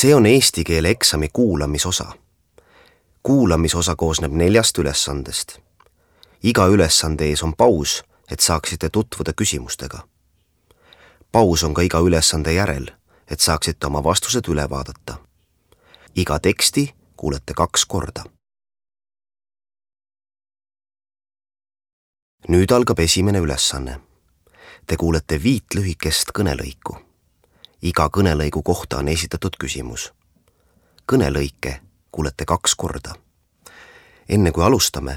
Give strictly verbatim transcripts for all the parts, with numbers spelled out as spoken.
See on eesti keele eksami kuulamisosa. Kuulamisosa koosneb neljast ülesandest. Iga ülesande ees on paus, et saaksite tutvuda küsimustega. Paus on ka iga ülesande järel, et saaksite oma vastused üle vaadata. Iga teksti kuulete kaks korda. Nüüd algab esimene ülesanne. Te kuulete viit lühikest kõnelõiku. Iga kõnelõigu kohta on esitatud küsimus. Kõnelõike kuulete kaks korda. Enne kui alustame,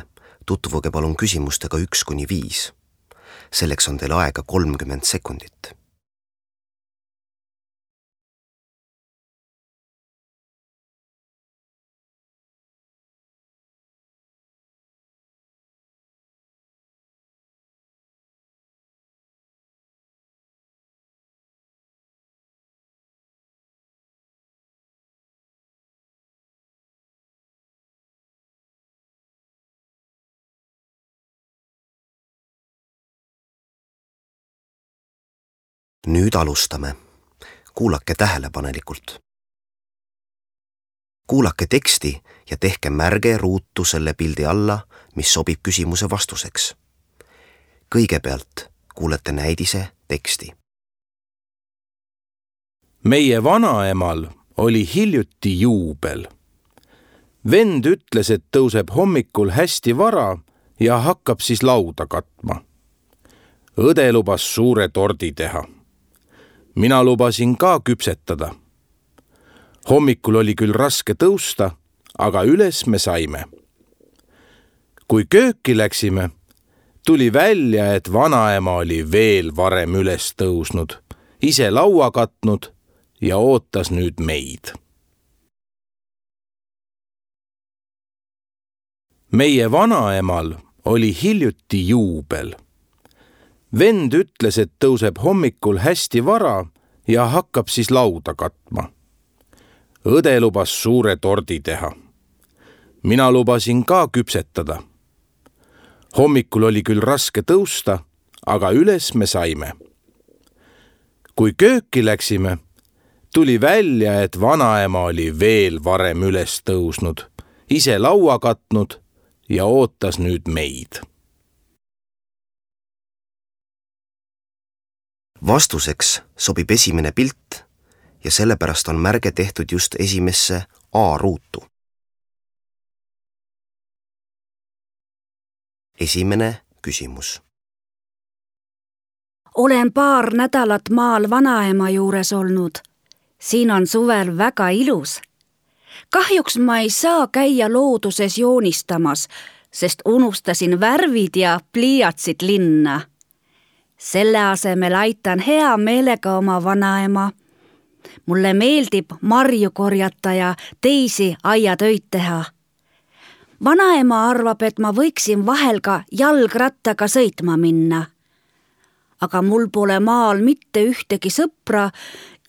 tutvuge palun küsimustega üks kuni viis. Selleks on teil aega kolmkümmend sekundit. Nüüd alustame. Kuulake tähelepanelikult. Kuulake teksti ja tehke märge ruutu selle pildi alla, mis sobib küsimuse vastuseks. Kõigepealt kuulete näidise teksti. Meie vanaemal oli hiljuti juubel. Vend ütles, et tõuseb hommikul hästi vara ja hakkab siis lauda katma. Õde lubas suure tordi teha. Mina lubasin ka küpsetada. Hommikul oli küll raske tõusta, aga üles me saime. Kui kööki läksime, tuli välja, et vanaema oli veel varem üles tõusnud, ise laua katnud ja ootas nüüd meid. Meie vanaemal oli hiljuti juubel. Vend ütles, et tõuseb hommikul hästi vara ja hakkab siis lauda katma. Õde lubas suure tordi teha. Mina lubasin ka küpsetada. Hommikul oli küll raske tõusta, aga üles me saime. Kui kööki läksime, tuli välja, et vanaema oli veel varem üles tõusnud, ise laua katnud ja ootas nüüd meid. Vastuseks sobib esimene pilt ja sellepärast on märge tehtud just esimesse A-ruutu. Esimene küsimus. Olen paar nädalat maal vanaema juures olnud. Siin on suvel väga ilus. Kahjuks ma ei saa käia looduses joonistamas, sest unustasin värvid ja pliiatsid linna. Selle asemel aitan hea meelega oma vanaema. Mulle meeldib marju korjata ja teisi aiatöid teha. Vanaema arvab, et ma võiksin vahel ka jalgrattaga sõitma minna. Aga mul pole maal mitte ühtegi sõpra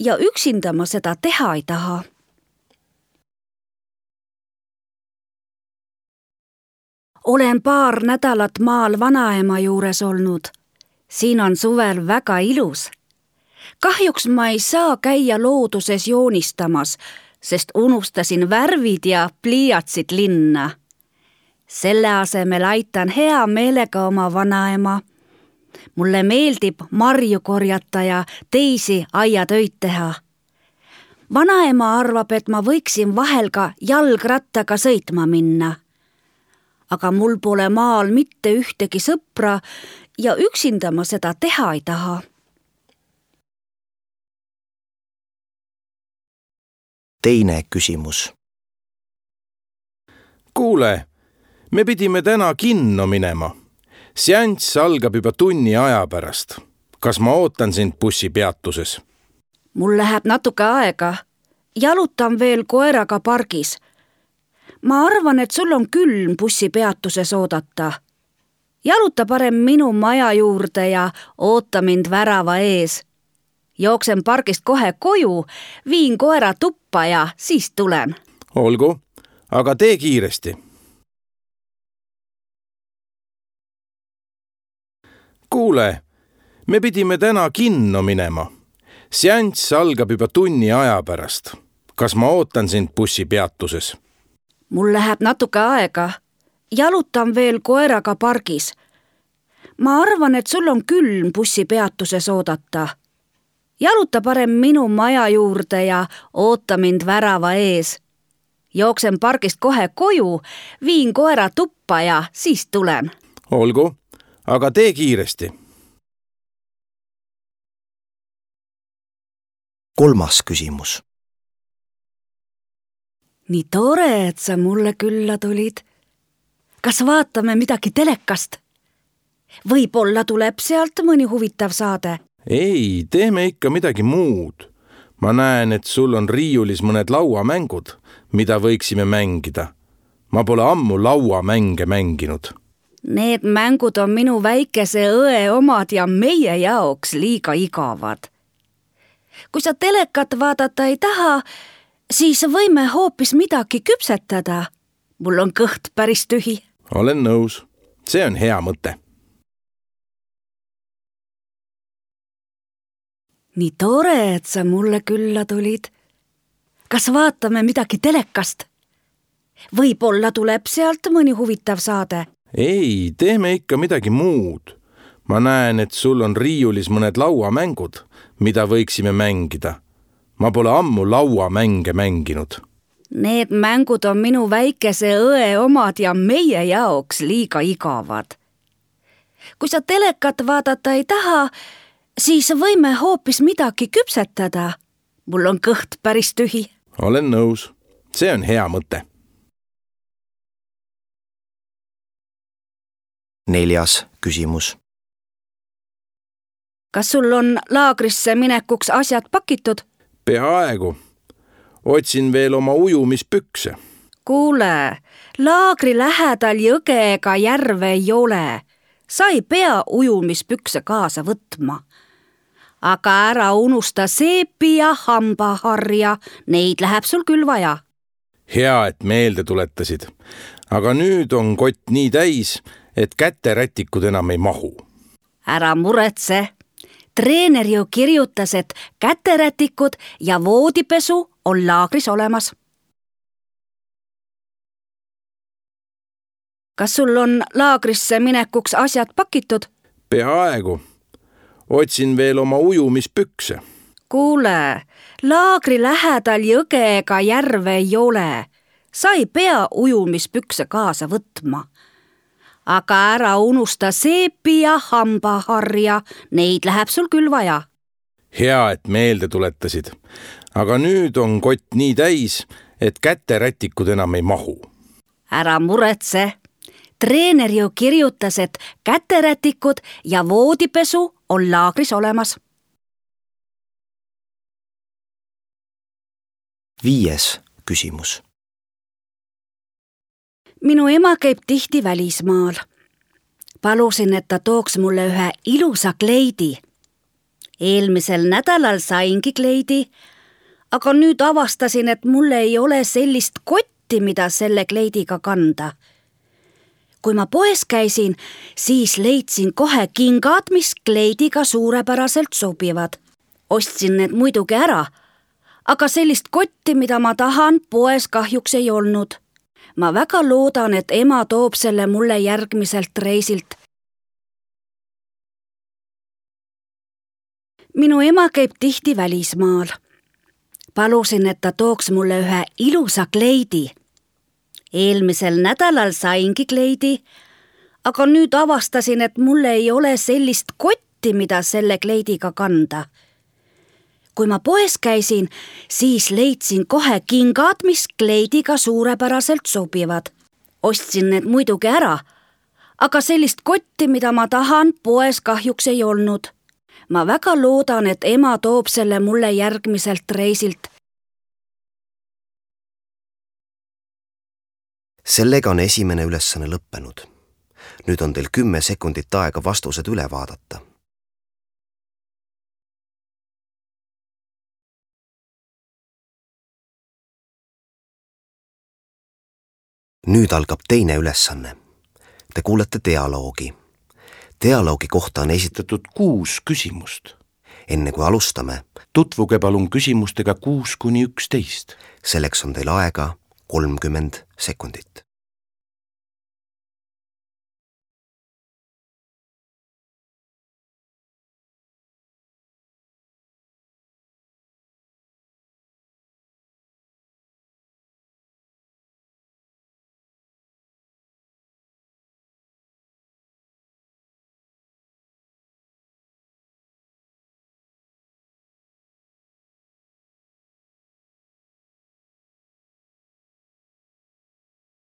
ja üksinda ma seda teha ei taha. Olen paar nädalat maal vanaema juures olnud. Siin on suvel väga ilus. Kahjuks ma ei saa käia looduses joonistamas, sest unustasin värvid ja pliiatsid linna. Selle asemel aitan hea meelega oma vanaema. Mulle meeldib marju korjata ja teisi aiatöid teha. Vanaema arvab, et ma võiksin vahel ka jalgrattaga sõitma minna. Aga mul pole maal mitte ühtegi sõpra ja üksinda ma seda teha ei taha. Teine küsimus. Kuule, me pidime täna kinno minema. Seanss algab juba tunni aja pärast. Kas ma ootan sind bussipeatuses? Mul läheb natuke aega. Jalutan veel koeraga pargis. Ma arvan, et sul on külm bussipeatuses oodata. Jaluta parem minu maja juurde ja oota mind värava ees. Jooksen pargist kohe koju, viin koera tuppa ja siis tulen. Olgu, aga tee kiiresti. Kuule, me pidime täna kinno minema. Seanss algab juba tunni aja pärast. kas ma ootan sind bussipeatuses? Mul läheb natuke aega. Jalutan veel koeraga pargis. Ma arvan, et sul on külm bussipeatuses oodata. Jaluta parem minu maja juurde ja oota mind värava ees. Jooksen pargist kohe koju, viin koera tuppa ja siis tulen. Olgu, aga tee kiiresti. kolmas küsimus. Nii tore, et sa mulle külla tulid. Kas vaatame midagi telekast? Võib-olla tuleb sealt mõni huvitav saade. Ei, teeme ikka midagi muud. Ma näen, et sul on riiulis mõned lauamängud, mida võiksime mängida. Ma pole ammu lauamänge mänginud. Need mängud on minu väikese õe omad ja meie jaoks liiga igavad. Kui sa telekat vaadata ei taha, siis võime hoopis midagi küpsetada. Mul on kõht päris tühi. Olen nõus. See on hea mõte. Nii tore, et sa mulle külla tulid. Kas vaatame midagi telekast? Võib-olla tuleb sealt mõni huvitav saade. Ei, teeme ikka midagi muud. Ma näen, et sul on riiulis mõned lauamängud, mida võiksime mängida. Ma pole ammu lauamänge mänginud. Need mängud on minu väikese õe omad ja meie jaoks liiga igavad. Kui sa telekat vaadata ei taha, siis võime hoopis midagi küpsetada. Mul on kõht päris tühi. Olen nõus. See on hea mõte. Neljas küsimus. Kas sul on laagrisse minekuks asjad pakitud? Peaaegu. Otsin veel oma ujumispükse. Kuule, laagri lähedal jõge ega järve ei ole. Sa ei pea ujumispükse kaasa võtma. Aga ära unusta seepi ja hambaharja, neid läheb sul küll vaja. Hea, et meelde tuletasid. Aga nüüd on kott nii täis, et käterätikud enam ei mahu. Ära muretse. Treener ju kirjutas, et käterätikud ja voodipesu on laagris olemas. Kas sul on laagrisse minekuks asjad pakitud? Peaaegu. Otsin veel oma ujumispükse. Kuule, laagri lähedal jõge ega järve ei ole. Sa ei pea ujumispükse kaasa võtma. Aga ära unusta seepi ja hambaharja, neid läheb sul küll vaja. Hea, et meelde tuletasid. Aga nüüd on kott nii täis, et käterätikud enam ei mahu. Ära muretse. Treener ju kirjutas, et käterätikud ja voodipesu on laagris olemas. Viies küsimus. Minu ema käib tihti välismaal. Palusin, et ta tooks mulle ühe ilusa kleidi. Eelmisel nädalal saingi kleidi, aga nüüd avastasin, et mulle ei ole sellist kotti, mida selle kleidiga kanda. Kui ma poes käisin, siis leidsin kohe kingad, mis kleidiga suurepäraselt sobivad. Ostsin need muidugi ära, aga sellist kotti, mida ma tahan, poes kahjuks ei olnud. Ma väga loodan, et ema toob selle mulle järgmiselt reisilt. Minu ema käib tihti välismaal. Palusin, et ta tooks mulle ühe ilusa kleidi. Eelmisel nädalal saingi kleidi, aga nüüd avastasin, et mulle ei ole sellist kotti, mida selle kleidiga kanda. Kui ma poes käisin, siis leidsin kohe kingad, mis kleidiga suurepäraselt sobivad. Ostsin need muidugi ära, aga sellist kotti, mida ma tahan, poes kahjuks ei olnud. Ma väga loodan, et ema toob selle mulle järgmiselt reisilt. Sellega on esimene ülesanne lõppenud. Nüüd on teil kümme sekundit aega vastused üle vaadata. Nüüd algab teine ülesanne. Te kuulete dialoogi. Dialoogi kohta on esitatud kuus küsimust. enne kui alustame, tutvuge palun küsimustega kuus kuni üksteist. Selleks on teil aega kolmkümmend sekundit.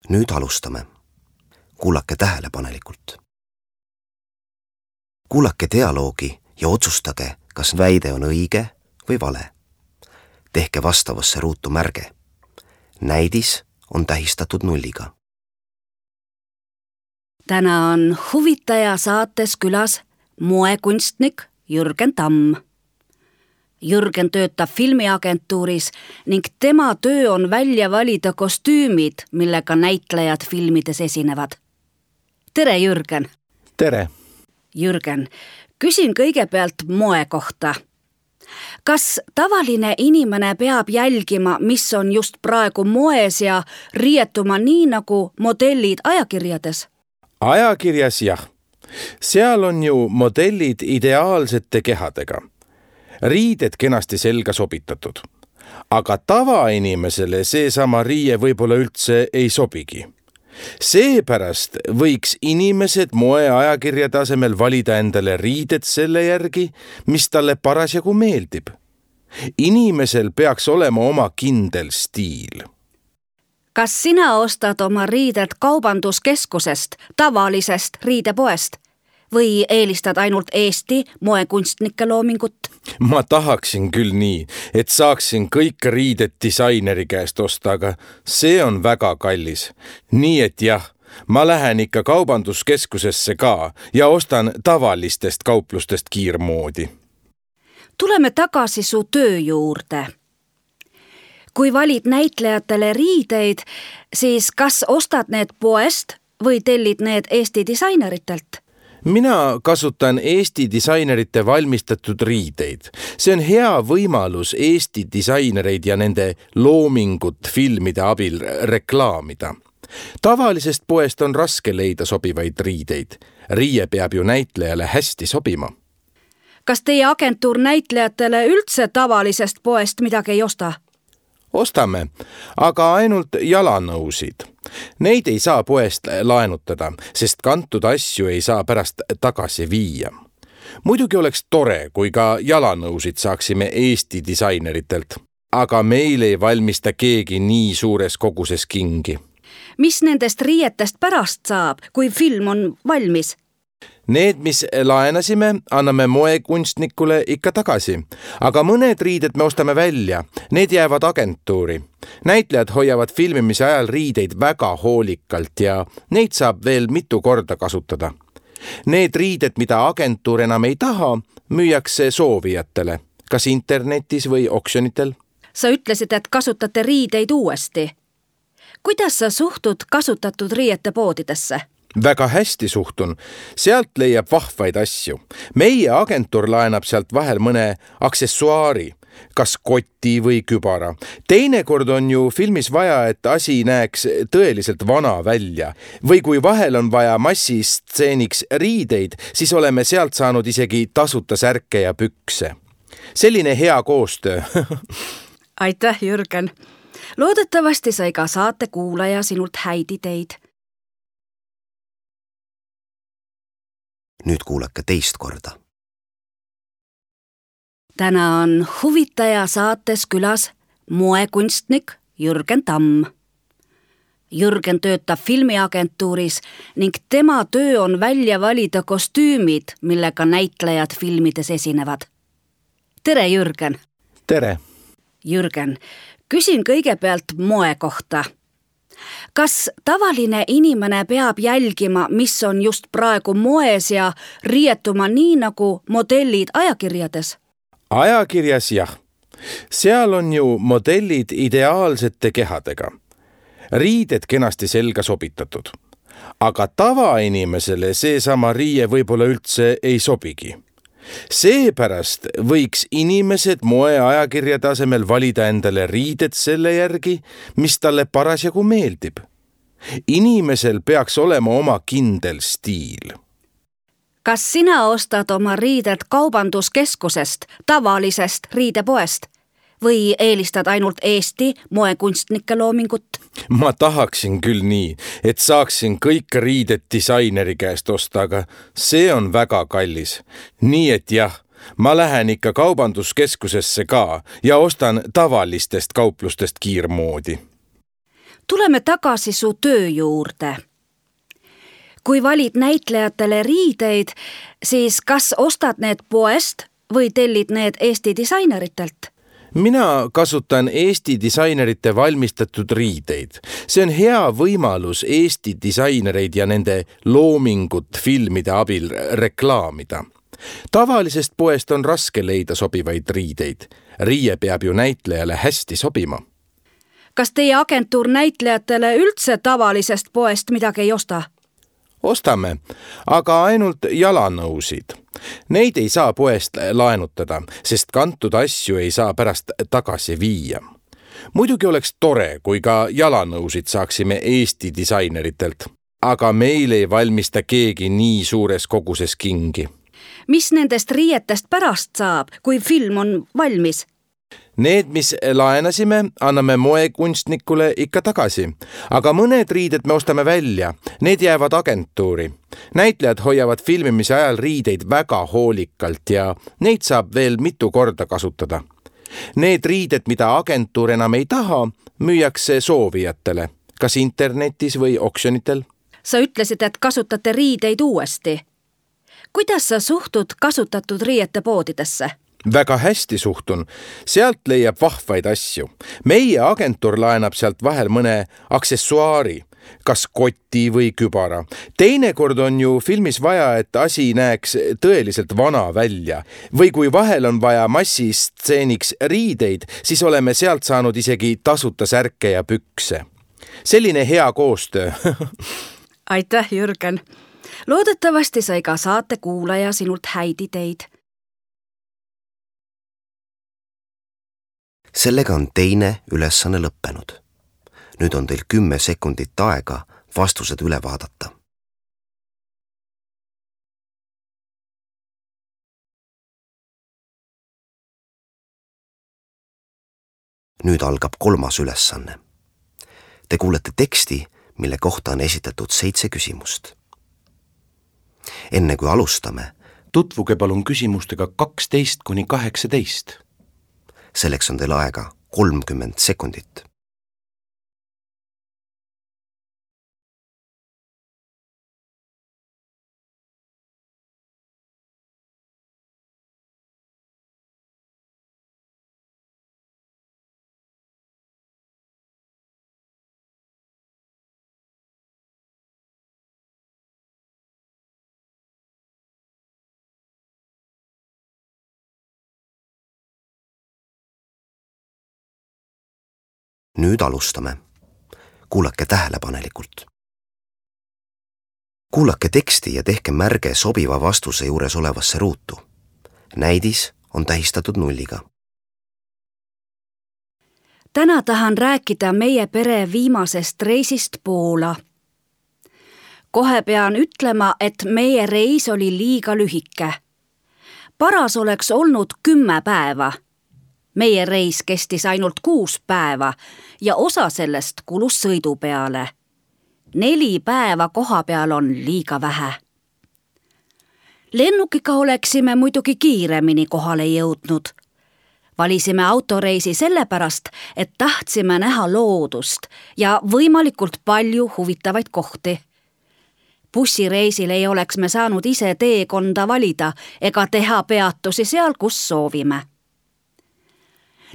Nüüd alustame. Kuulake tähelepanelikult. Kuulake dialoogi ja otsustage, kas väide on õige või vale. Tehke vastavasse ruutu märge. Näidis on tähistatud nulliga. Täna on huvitaja saates külas moekunstnik Jürgen Tamm. Jürgen töötab filmiagentuuris ning tema töö on välja valida kostüümid, millega näitlejad filmides esinevad. Tere, Jürgen! Tere! Jürgen, küsin kõigepealt moe kohta. Kas tavaline inimene peab jälgima, mis on just praegu moes ja riietuma nii nagu modellid ajakirjades? Ajakirjas jah. Seal on ju modellid ideaalsete kehadega. Riided kenasti selga sobitatud. Aga tavainimesele seesama riie võib-olla üldse ei sobigi. Seepärast võiks inimesed moeajakirjade asemel valida endale riided selle järgi, mis talle parasjagu meeldib. Inimesel peaks olema oma kindel stiil. Kas sina ostad oma riided kaubanduskeskusest, tavalisest riidepoest? Või eelistad ainult Eesti moekunstnike loomingut? Ma tahaksin küll nii, et saaksin kõik riided disaineri käest osta, aga see on väga kallis. Nii et jah, ma lähen ikka kaubanduskeskusesse ka ja ostan tavalistest kauplustest kiirmoodi. Tuleme tagasi su töö juurde. Kui valid näitlejatele riideid, siis kas ostad need poest või tellid need Eesti disaineritelt? Mina kasutan Eesti disainerite valmistatud riideid. See on hea võimalus Eesti disainereid ja nende loomingut filmide abil reklaamida. Tavalisest poest on raske leida sobivaid riideid. Riie peab ju näitlejale hästi sobima. Kas teie agentuur näitlejatele üldse tavalisest poest midagi ei osta? Ostame, aga ainult jalanõusid. Neid ei saa poest laenutada, sest kantud asju ei saa pärast tagasi viia. Muidugi oleks tore, kui ka jalanõusid saaksime Eesti disaineritelt, aga meil ei valmista keegi nii suures koguses kingi. Mis nendest riietest pärast saab, kui film on valmis? Need, mis laenasime, anname moekunstnikule ikka tagasi, aga mõned riided me ostame välja, need jäävad agentuuri. Näitlejad hoiavad filmimise ajal riideid väga hoolikalt ja neid saab veel mitu korda kasutada. Need riided, mida agentuur enam ei taha, müüakse soovijatele, kas internetis või oksjonitel. Sa ütlesid, et kasutate riideid uuesti. Kuidas sa suhtud kasutatud riiete poodidesse? Väga hästi suhtun. Sealt leiab vahvaid asju. Meie agentuur laenab sealt vahel mõne aksessuaari, kas koti või kübara. Teinekord on ju filmis vaja, et asi näeks tõeliselt vana välja. Või kui vahel on vaja massistseeniks riideid, siis oleme sealt saanud isegi tasuta särke ja pükse. Selline hea koostöö. Aitäh, Jürgen. Loodetavasti sai ka saate kuulaja sinult häid ideid. Nüüd kuulake teist korda. Täna on huvitaja saates külas moekunstnik Jürgen Tamm. Jürgen töötab filmiagentuuris ning tema töö on välja valida kostüümid, millega näitlejad filmides esinevad. Tere, Jürgen! Tere! Jürgen, küsin kõigepealt moe kohta. Kas tavaline inimene peab jälgima, mis on just praegu moes ja riietuma nii nagu modellid ajakirjades? Ajakirjas jah. Seal on ju modellid ideaalsete kehadega. Riided kenasti selga sobitatud. Aga tavainimesele seesama riie võib-olla üldse ei sobigi. Seepärast võiks inimesed moeajakirjade asemel valida endale riided selle järgi, mis talle parasjagu meeldib. Inimesel peaks olema oma kindel stiil. Kas sina ostad oma riided kaubanduskeskusest, tavalisest riidepoest või eelistad ainult Eesti moekunstnike loomingut? Ma tahaksin küll nii, et saaksin kõik riided disaineri käest osta, aga see on väga kallis. Nii et jah, ma lähen ikka kaubanduskeskusesse ka ja ostan tavalistest kauplustest kiirmoodi. Tuleme tagasi su töö juurde. Kui valid näitlejatele riideid, siis kas ostad need poest või tellid need Eesti disaineritelt? Mina kasutan Eesti disainerite valmistatud riideid. See on hea võimalus Eesti disainereid ja nende loomingut filmide abil reklaamida. Tavalisest poest on raske leida sobivaid riideid. Riie peab ju näitlejale hästi sobima. Kas teie agentuur näitlejatele üldse tavalisest poest midagi ei osta? Ostame, aga ainult jalanõusid. Neid ei saa poest laenutada, sest kantud asju ei saa pärast tagasi viia. Muidugi oleks tore, kui ka jalanõusid saaksime Eesti disaineritelt, aga meil ei valmista keegi nii suures koguses kingi. Mis nendest riietest pärast saab, kui film on valmis? Need, mis laenasime, anname moekunstnikule ikka tagasi, aga mõned riided me ostame välja, need jäävad agentuuri. Näitlejad hoiavad filmimise ajal riideid väga hoolikalt ja neid saab veel mitu korda kasutada. Need riided, mida agentuur enam ei taha, müüakse soovijatele, kas internetis või oksjonitel. Sa ütlesid, et kasutate riideid uuesti. Kuidas sa suhtud kasutatud riiete poodidesse? Väga hästi suhtun. Sealt leiab vahvaid asju. Meie agentuur laenab sealt vahel mõne aksessuaari, kas koti või kübara. Teinekord on ju filmis vaja, et asi näeks tõeliselt vana välja. Või kui vahel on vaja massistseeniks riideid, siis oleme sealt saanud isegi tasuta särke ja pükse. Selline hea koostöö. Aitäh, Jürgen. Loodetavasti sai ka saate kuulaja sinult häid ideid. Sellega on teine ülesanne lõppenud. Nüüd on teil kümme sekundit aega vastused üle vaadata. Nüüd algab kolmas ülesanne. Te kuulete teksti, mille kohta on esitatud seitse küsimust. Enne kui alustame, tutvuge palun küsimustega kaksteist kuni kaheksateist. Selleks on teil aega kolmkümmend sekundit. Nüüd alustame. Kuulake tähelepanelikult. Kuulake teksti ja tehke märge sobiva vastuse juures olevasse ruutu. Näidis on tähistatud nulliga. Täna tahan rääkida meie pere viimasest reisist Poola. Kohe pean ütlema, et meie reis oli liiga lühike. Paras oleks olnud kümme päeva. Meie reis kestis ainult kuus päeva ja osa sellest kulus sõidu peale. Neli päeva koha peal on liiga vähe. Lennukiga oleksime muidugi kiiremini kohale jõudnud. Valisime autoreisi sellepärast, et tahtsime näha loodust ja võimalikult palju huvitavaid kohti. Bussireisil ei oleks me saanud ise teekonda valida ega teha peatusi seal, kus soovime.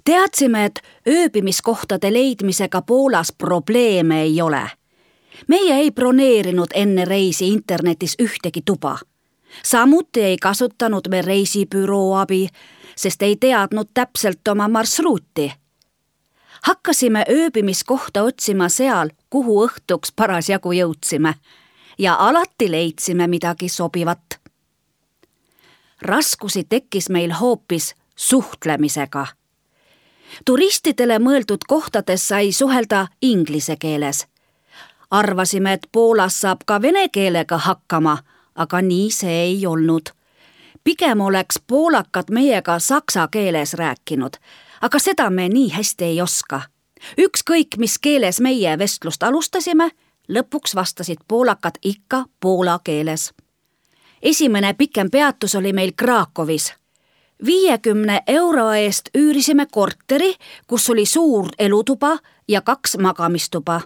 Teadsime, et ööbimiskohtade leidmisega Poolas probleeme ei ole. Meie ei broneerinud enne reisi internetis ühtegi tuba. Samuti ei kasutanud me reisibüroo abi, sest ei teadnud täpselt oma marsruuti. Hakkasime ööbimiskohta otsima seal, kuhu õhtuks parasjagu jõudsime ja alati leidsime midagi sobivat. raskusi tekkis meil hoopis suhtlemisega. Turistidele mõeldud kohtades sai suhelda inglise keeles. Arvasime, et Poolas saab ka vene keelega hakkama, aga nii see ei olnud. Pigem oleks poolakad meiega saksa keeles rääkinud, aga seda me nii hästi ei oska. Ükskõik, mis keeles meie vestlust alustasime, lõpuks vastasid poolakad ikka poola keeles. Esimene pikem peatus oli meil Krakowis. viiekümne euro eest üürisime korteri, kus oli suur elutuba ja kaks magamistuba.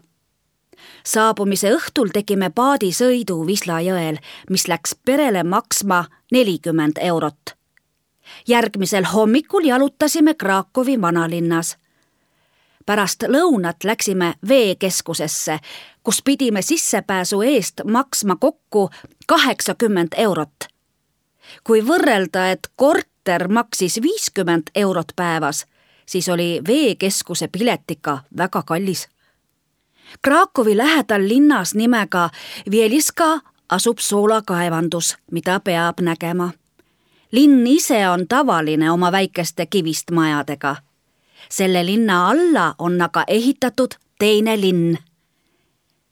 Saabumise õhtul tegime paadisõidu Wisla jõel, mis läks perele maksma nelikümmend eurot. Järgmisel hommikul jalutasime Krakowi vanalinnas. Pärast lõunat läksime veekeskusesse, kus pidime sissepääsu eest maksma kokku kaheksakümmend eurot. Kui võrrelda, et korter maksis viiskümmend eurot päevas, siis oli veekeskuse pilet ikka väga kallis. Krakowi lähedal linnas nimega Wieliska asub soolakaevandus, mida peab nägema. Linn ise on tavaline oma väikeste kivist majadega. Selle linna alla on aga ehitatud teine linn.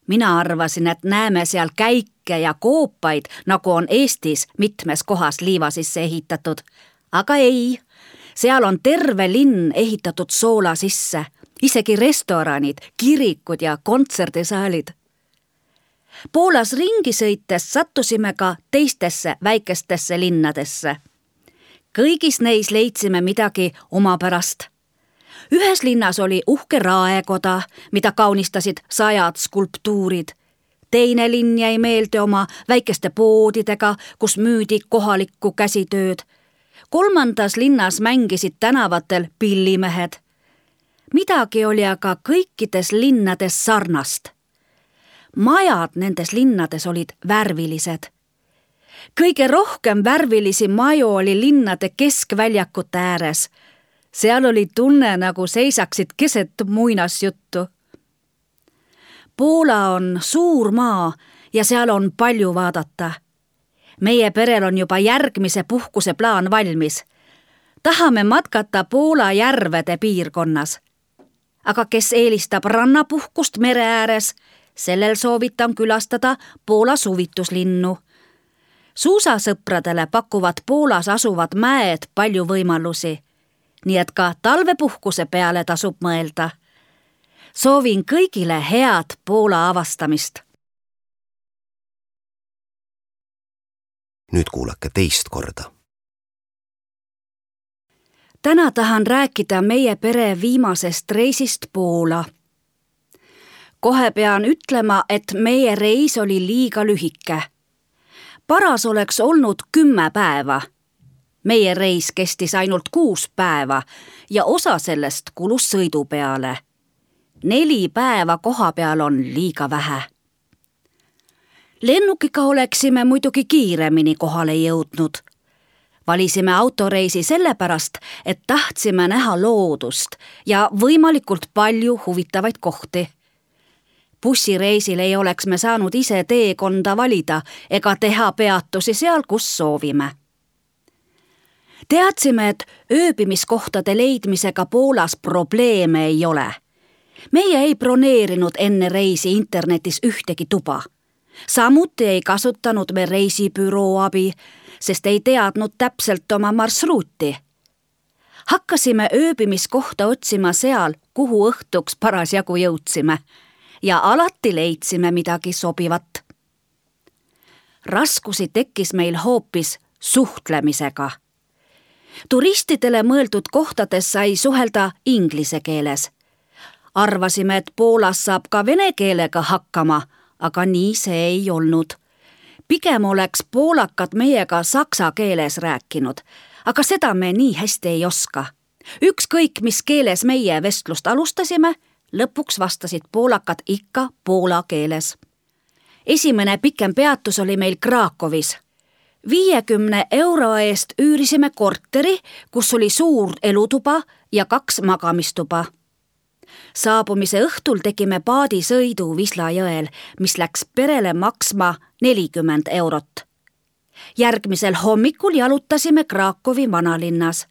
Mina arvasin, et näeme seal käike ja koopaid, nagu on Eestis mitmes kohas liiva sisse ehitatud. Aga ei, seal on terve linn ehitatud soola sisse, isegi restoranid, kirikud ja kontserdisaalid. Poolas ringi sõites sattusime ka teistesse väikestesse linnadesse. Kõigis neis leidsime midagi omapärast. Ühes linnas oli uhke raekoda, mida kaunistasid sajad skulptuurid. Teine linn jäi meelde oma väikeste poodidega, kus müüdi kohalikku käsitööd. Kolmandas linnas mängisid tänavatel pillimehed. Midagi oli aga kõikides linnades sarnast. Majad nendes linnades olid värvilised. Kõige rohkem värvilisi maju oli linnade keskväljakute ääres. Seal oli tunne, nagu seisaksid keset muinasjuttu. Poola on suur maa ja seal on palju vaadata. Meie perel on juba järgmise puhkuse plaan valmis. Tahame matkata Poola järvede piirkonnas. Aga kes eelistab rannapuhkust mere ääres, sellel soovitan külastada Poola suvituslinnu. Suusasõpradele pakuvad Poolas asuvad mäed palju võimalusi, nii et ka talvepuhkuse peale tasub mõelda. Soovin kõigile head Poola avastamist. Nüüd kuulake teist korda. Täna tahan rääkida meie pere viimasest reisist Poola. Kohe pean ütlema, et meie reis oli liiga lühike. Paras oleks olnud kümme päeva. Meie reis kestis ainult kuus päeva ja osa sellest kulus sõidu peale. Neli päeva koha peal on liiga vähe. Lennukiga oleksime muidugi kiiremini kohale jõudnud. Valisime autoreisi sellepärast, et tahtsime näha loodust ja võimalikult palju huvitavaid kohti. Bussireisil ei oleks me saanud ise teekonda valida ega teha peatusi seal, kus soovime. Teadsime, et ööbimiskohtade leidmisega Poolas probleeme ei ole. Meie ei broneerinud enne reisi internetis ühtegi tuba. Samuti ei kasutanud me reisibüroo abi, sest ei teadnud täpselt oma marsruuti. Hakkasime ööbimiskohta otsima seal, kuhu õhtuks parasjagu jõudsime ja alati leidsime midagi sobivat. Raskusi tekkis meil hoopis suhtlemisega. Turistidele mõeldud kohtades sai suhelda inglise keeles. Arvasime, et Poolas saab ka vene keelega hakkama, aga nii see ei olnud. Pigem oleks poolakad meiega saksa keeles rääkinud, aga seda me nii hästi ei oska. Ükskõik, mis keeles meie vestlust alustasime, lõpuks vastasid poolakad ikka poola keeles. Esimene pikem peatus oli meil Krakowis. viiekümne euro eest üürisime korteri, kus oli suur elutuba ja kaks magamistuba. Saabumise õhtul tegime paadisõidu Wisla jõel, mis läks perele maksma nelikümmend eurot. Järgmisel hommikul jalutasime Krakowi vanalinnas.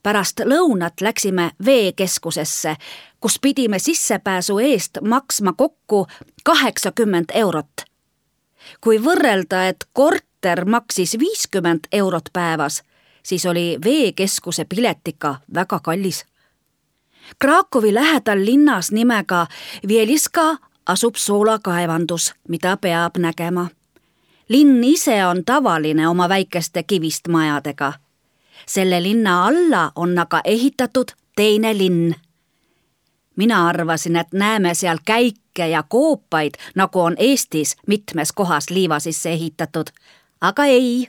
Pärast lõunat läksime veekeskusesse, kus pidime sissepääsu eest maksma kokku kaheksakümmend eurot. Kui võrrelda, et korter maksis viiskümmend eurot päevas, siis oli veekeskuse pilet ikka väga kallis. Krakowi lähedal linnas nimega Wieliska asub soolakaevandus, mida peab nägema. Linn ise on tavaline oma väikeste kivist majadega. Selle linna alla on aga ehitatud teine linn. Mina arvasin, et näeme seal käike ja koopaid, nagu on Eestis mitmes kohas liiva sisse ehitatud. Aga ei,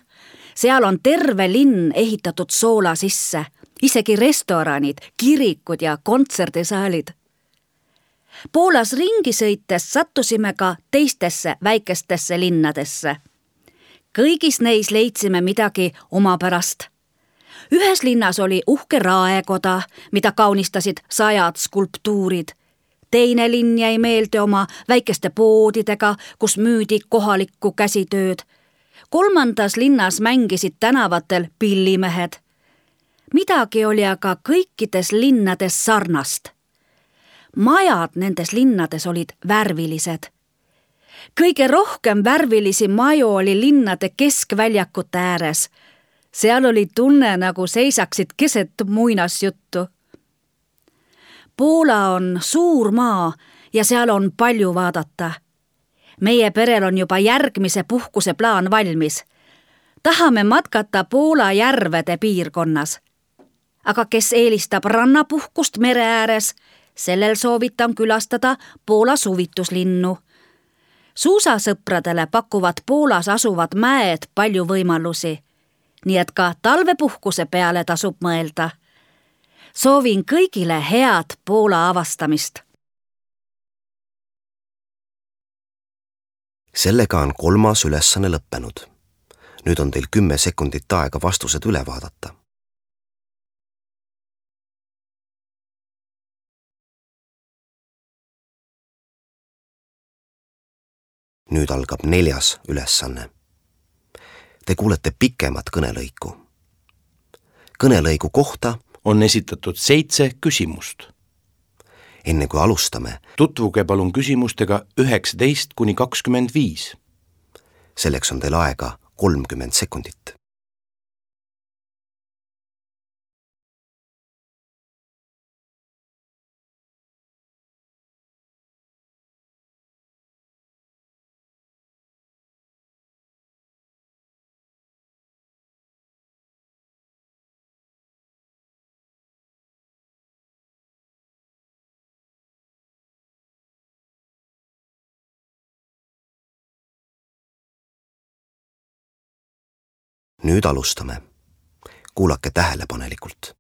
seal on terve linn ehitatud soola sisse, isegi restoranid, kirikud ja kontserdisaalid. Poolas ringi sõites sattusime ka teistesse väikestesse linnadesse. Kõigis neis leidsime midagi omapärast. Ühes linnas oli uhke raekoda, mida kaunistasid sajad skulptuurid. Teine linn jäi meelde oma väikeste poodidega, kus müüdi kohalikku käsitööd. Kolmandas linnas mängisid tänavatel pillimehed. Midagi oli aga kõikides linnades sarnast. Majad nendes linnades olid värvilised. Kõige rohkem värvilisi maju oli linnade keskväljakute ääres. Seal oli tunne, nagu seisaksid keset muinasjuttu. Poola on suur maa ja seal on palju vaadata. Meie perel on juba järgmise puhkuse plaan valmis. Tahame matkata Poola järvede piirkonnas. Aga kes eelistab rannapuhkust mere ääres, sellel soovitan külastada Poola suvituslinnu. Suusasõpradele pakuvad Poolas asuvad mäed palju võimalusi, nii et ka talvepuhkuse peale tasub mõelda. Soovin kõigile head Poola avastamist. Sellega on kolmas ülesanne lõppenud. Nüüd on teil kümme sekundit aega vastused üle vaadata. Nüüd algab neljas ülesanne. Te kuulete pikemat kõnelõiku. Kõnelõigu kohta on esitatud seitse küsimust. Enne kui alustame, tutvuge palun küsimustega üheksateist kuni kakskümmend viis. Selleks on teil aega kolmkümmend sekundit. Nüüd alustame. Kuulake tähelepanelikult.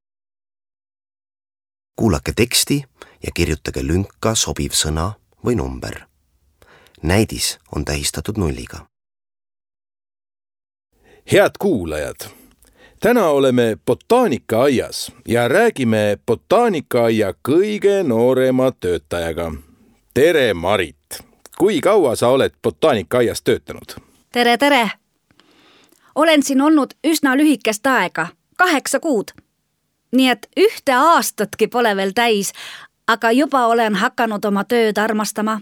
Kuulake teksti ja kirjutage lünka sobiv sõna või number. Näidis on tähistatud nulliga. Head kuulajad! Täna oleme botaanikaaaias ja räägime botaanikaaia kõige noorema töötajaga. Tere, Marit! Kui kaua sa oled botaanikaaaias töötanud? Tere, tere! Olen siin olnud üsna lühikest aega, kaheksa kuud. Nii et ühte aastatki pole veel täis, aga juba olen hakanud oma tööd armastama.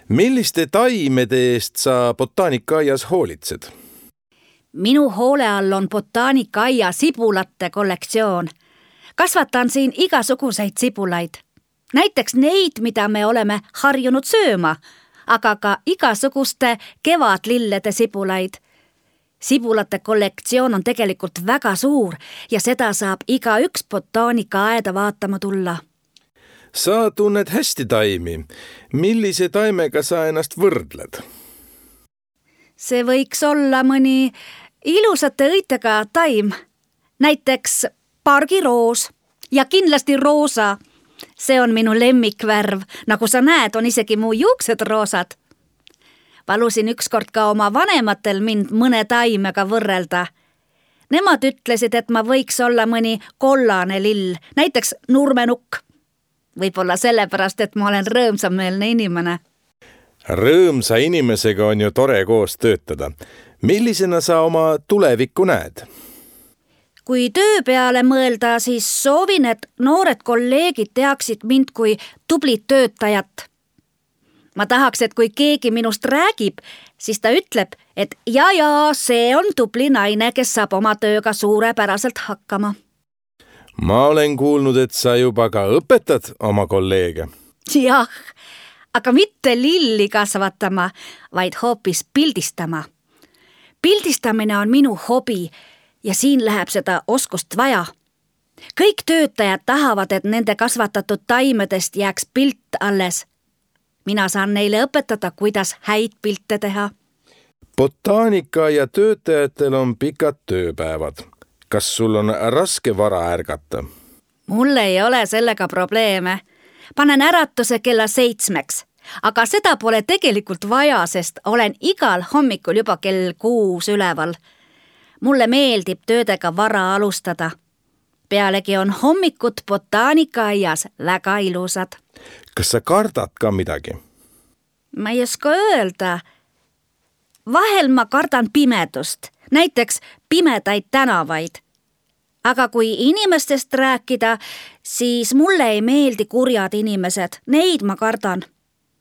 Milliste taimede eest sa botaanikaaaias hoolitsed? Minu hoole all on botaanikaaia sibulate kollektsioon. Kasvatan siin igasuguseid sibulaid. Näiteks neid, mida me oleme harjunud sööma, aga ka igasuguste kevadlillede sibulaid. Sibulate kollektsioon on tegelikult väga suur ja seda saab iga üks botaanikaaeda vaatama tulla. Sa tunned hästi taimi. Millise taimega sa ennast võrdled? See võiks olla mõni ilusate õitega taim. Näiteks pargiroos ja kindlasti roosa. See on minu lemmikvärv. Nagu sa näed, on isegi mu juuksed roosad. Palusin ükskord ka oma vanematel mind mõne taimega võrrelda. Nemad ütlesid, et ma võiks olla mõni kollane lill, näiteks nurmenukk. Võib-olla sellepärast, et ma olen rõõmsameelne inimene. Rõõmsa inimesega on ju tore koos töötada. Millisena sa oma tulevikku näed? Kui töö peale mõelda, siis soovin, et noored kolleegid teaksid mind kui tublit töötajat. Ma tahaks, et kui keegi minust räägib, siis ta ütleb, et ja, ja, see on tubli naine, kes saab oma tööga suurepäraselt hakkama. Ma olen kuulnud, et sa juba ka õpetad oma kolleege. Jah, aga mitte lilli kasvatama, vaid hoopis pildistama. Pildistamine on minu hobi ja siin läheb seda oskust vaja. Kõik töötajad tahavad, et nende kasvatatud taimedest jääks pilt alles. Mina saan neile õpetada, kuidas häid pilte teha. Botaanika ja töötajatel on pikad tööpäevad. Kas sul on raske vara ärgata? Mul ei ole sellega probleeme. Panen äratuse kella seitsmeks, aga seda pole tegelikult vaja, sest olen igal hommikul juba kell kuus üleval. Mulle meeldib töödega vara alustada. Pealegi on hommikud botaanikaaias väga ilusad. Kas sa kardad ka midagi? Ma ei oska öelda. Vahel ma kardan pimedust, näiteks pimedaid tänavaid. Aga kui inimestest rääkida, siis mulle ei meeldi kurjad inimesed, neid ma kardan.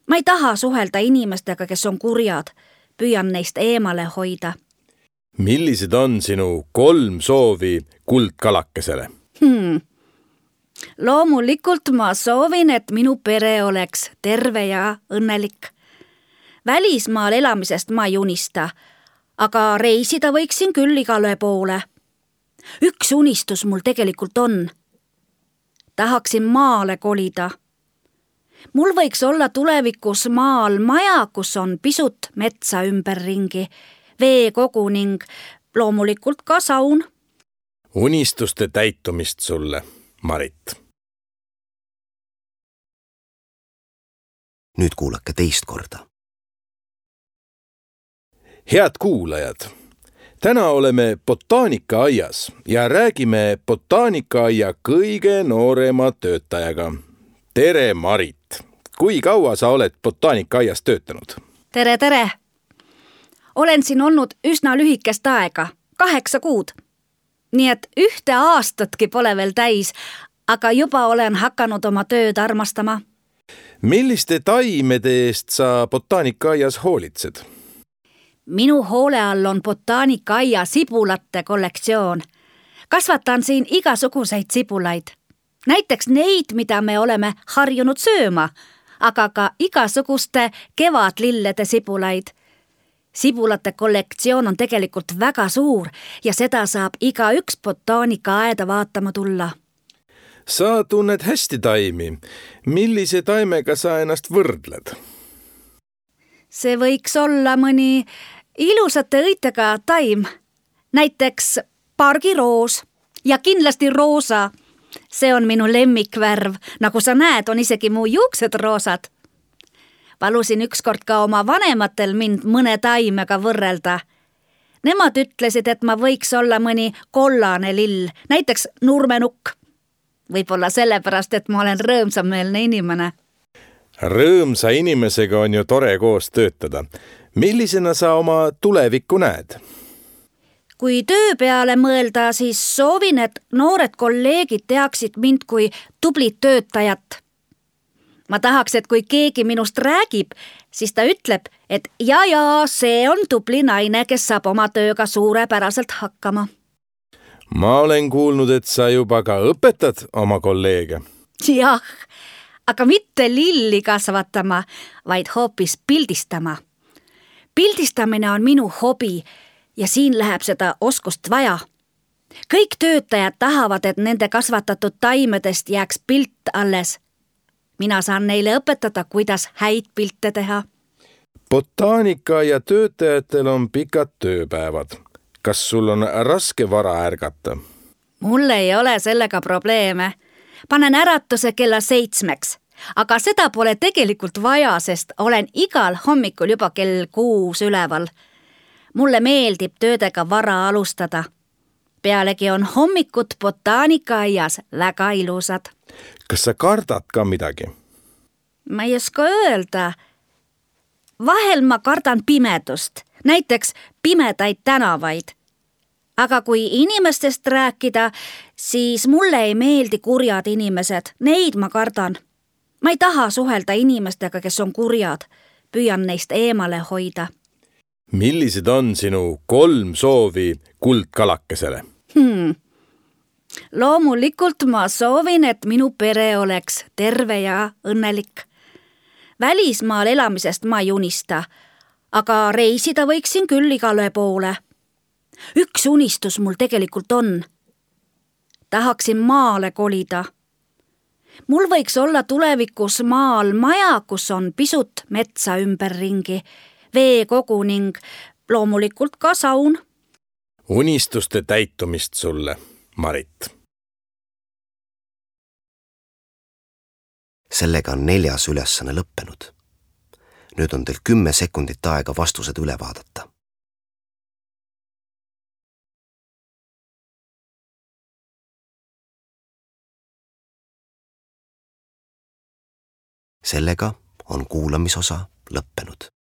Ma ei taha suhelda inimestega, kes on kurjad, püüan neist eemale hoida. Millised on sinu kolm soovi kuldkalakesele? Hmm. Loomulikult ma soovin, et minu pere oleks terve ja õnnelik. Välismaal elamisest ma ei unista, aga reisida võiksin küll igale poole. Üks unistus mul tegelikult on. Tahaksin maale kolida. Mul võiks olla tulevikus maal maja, kus on pisut metsa ümberringi, veekogu ning loomulikult ka saun. Unistuste täitumist sulle, Marit. Nüüd kuulake teist korda. Head kuulajad, täna oleme botaanikaaias ja räägime botaanikaaia kõige noorema töötajaga. Tere, Marit! Kui kaua sa oled botaanikaaias töötanud? Tere, tere! Olen siin olnud üsna lühikest aega, kaheksa kuud. Nii et ühte aastatki pole veel täis, aga juba olen hakanud oma tööd armastama. Milliste taimede eest sa botaanikaaias hoolitsed? Minu hoole all on botaanikaia sibulate kollektsioon. Kasvatan siin igasuguseid sibulaid. Näiteks neid, mida me oleme harjunud sööma, aga ka igasuguste kevadlillede sibulaid. Sibulate kollektsioon on tegelikult väga suur ja seda saab iga üks botaanikaaeda vaatama tulla. Sa tunned hästi taimi. Millise taimega sa ennast võrdled? See võiks olla mõni ilusate õitega taim, näiteks pargiroos ja kindlasti roosa. See on minu lemmikvärv, nagu sa näed, on isegi mu juuksed roosad. Palusin ükskord ka oma vanematel mind mõne taimega võrrelda. Nemad ütlesid, et ma võiks olla mõni kollane lill, näiteks nurmenukk. Võib-olla sellepärast, et ma olen rõõmsameelne inimene. Rõõmsa inimesega on ju tore koos töötada. Millisena sa oma tulevikku näed? Kui töö peale mõelda, siis soovin, et noored kolleegid teaksid mind kui tublit töötajat. Ma tahaks, et kui keegi minust räägib, siis ta ütleb, et ja, ja, see on tubli naine, kes saab oma tööga suurepäraselt hakkama. Ma olen kuulnud, et sa juba ka õpetad oma kolleege. Jah, aga mitte lilli kasvatama, vaid hoopis pildistama. Pildistamine on minu hobi ja siin läheb seda oskust vaja. Kõik töötajad tahavad, et nende kasvatatud taimedest jääks pilt alles. Mina saan neile õpetada, kuidas häid pilte teha. Botaanika ja töötajatel on pikad tööpäevad. Kas sul on raske vara ärgata? Mul ei ole sellega probleeme. Panen äratuse kella seitsmeks, aga seda pole tegelikult vaja, sest olen igal hommikul juba kell kuus üleval. Mulle meeldib töödega vara alustada. Pealegi on hommikud botaanikaaias väga ilusad. Kas sa kardad ka midagi? Ma ei oska öelda. Vahel ma kardan pimedust, näiteks pimedaid tänavaid. Aga kui inimestest rääkida, siis mulle ei meeldi kurjad inimesed, neid ma kardan. Ma ei taha suhelda inimestega, kes on kurjad, püüan neist eemale hoida. Millised on sinu kolm soovi kuldkalakesele? Hmm. Loomulikult ma soovin, et minu pere oleks terve ja õnnelik. Välismaal elamisest ma ei unista, aga reisida võiksin küll igale poole. Üks unistus mul tegelikult on. Tahaksin maale kolida. Mul võiks olla tulevikus maal maja, kus on pisut metsa ümberringi, veekogu ning loomulikult ka saun. Unistuste täitumist sulle, Marit. Sellega on neljas ülesanne lõppenud. Nüüd on teil kümme sekundit aega vastused üle vaadata. Sellega on kuulamisosa lõppenud.